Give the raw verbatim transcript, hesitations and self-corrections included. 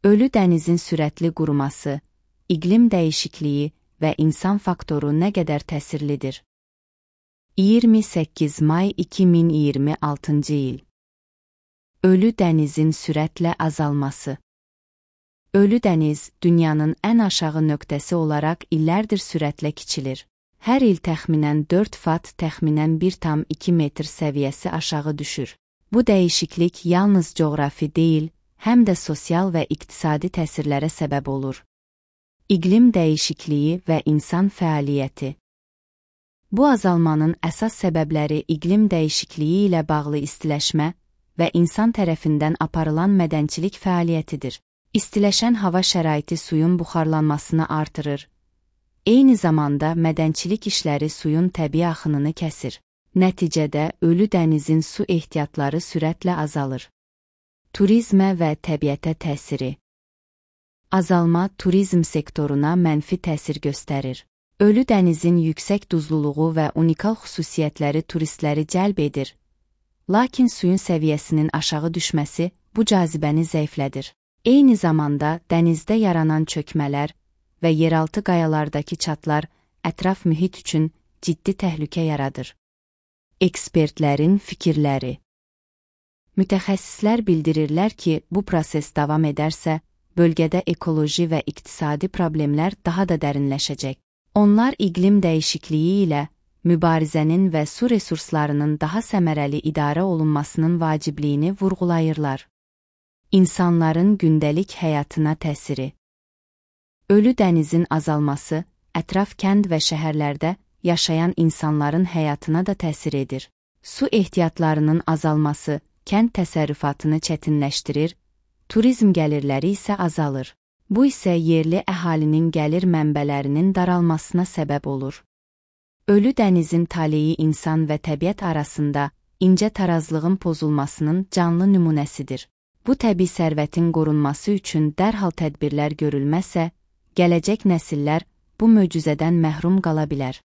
Ölü dənizin sürətli quruması, iqlim dəyişikliyi və insan faktoru nə qədər təsirlidir? iyirmi səkkiz may iki min iyirmi altıncı il. Ölü dənizin sürətlə azalması. Ölü dəniz, dünyanın ən aşağı nöqtəsi olaraq illərdir sürətlə kiçilir. Hər il təxminən dörd fat, təxminən bir tam iki metr səviyyəsi aşağı düşür. Bu dəyişiklik yalnız coğrafi deyil, həm də sosial və iqtisadi təsirlərə səbəb olur. İqlim dəyişikliyi və insan fəaliyyəti. Bu azalmanın əsas səbəbləri iqlim dəyişikliyi ilə bağlı istiləşmə və insan tərəfindən aparılan mədənçilik fəaliyyətidir. İstiləşən hava şəraiti suyun buxarlanmasını artırır. Eyni zamanda mədənçilik işləri suyun təbii axınını kəsir. Nəticədə ölü dənizin su ehtiyatları sürətlə azalır. Turizmə və təbiətə təsiri. Azalma turizm sektoruna mənfi təsir göstərir. Ölü dənizin yüksək duzluluğu və unikal xüsusiyyətləri turistləri cəlb edir. Lakin suyun səviyyəsinin aşağı düşməsi bu cazibəni zəiflədir. Eyni zamanda dənizdə yaranan çökmələr və yeraltı qayalardakı çatlar ətraf mühit üçün ciddi təhlükə yaradır. Ekspertlərin fikirləri. Mütəxəssislər bildirirlər ki, bu proses davam edərsə, bölgədə ekoloji və iqtisadi problemlər daha da dərinləşəcək. Onlar iqlim dəyişikliyi ilə mübarizənin və su resurslarının daha səmərəli idarə olunmasının vacibliyini vurğulayırlar. İnsanların gündəlik həyatına təsiri. Ölü dənizin azalması, ətraf kənd və şəhərlərdə yaşayan insanların həyatına da təsir edir. Su ehtiyatlarının azalması kənd təsərrüfatını çətinləşdirir, turizm gəlirləri isə azalır. Bu isə yerli əhalinin gəlir mənbələrinin daralmasına səbəb olur. Ölü dənizin taleyi insan və təbiət arasında incə tarazlığın pozulmasının canlı nümunəsidir. Bu təbii sərvətin qorunması üçün dərhal tədbirlər görülməsə, gələcək nəsillər bu möcüzədən məhrum qala bilər.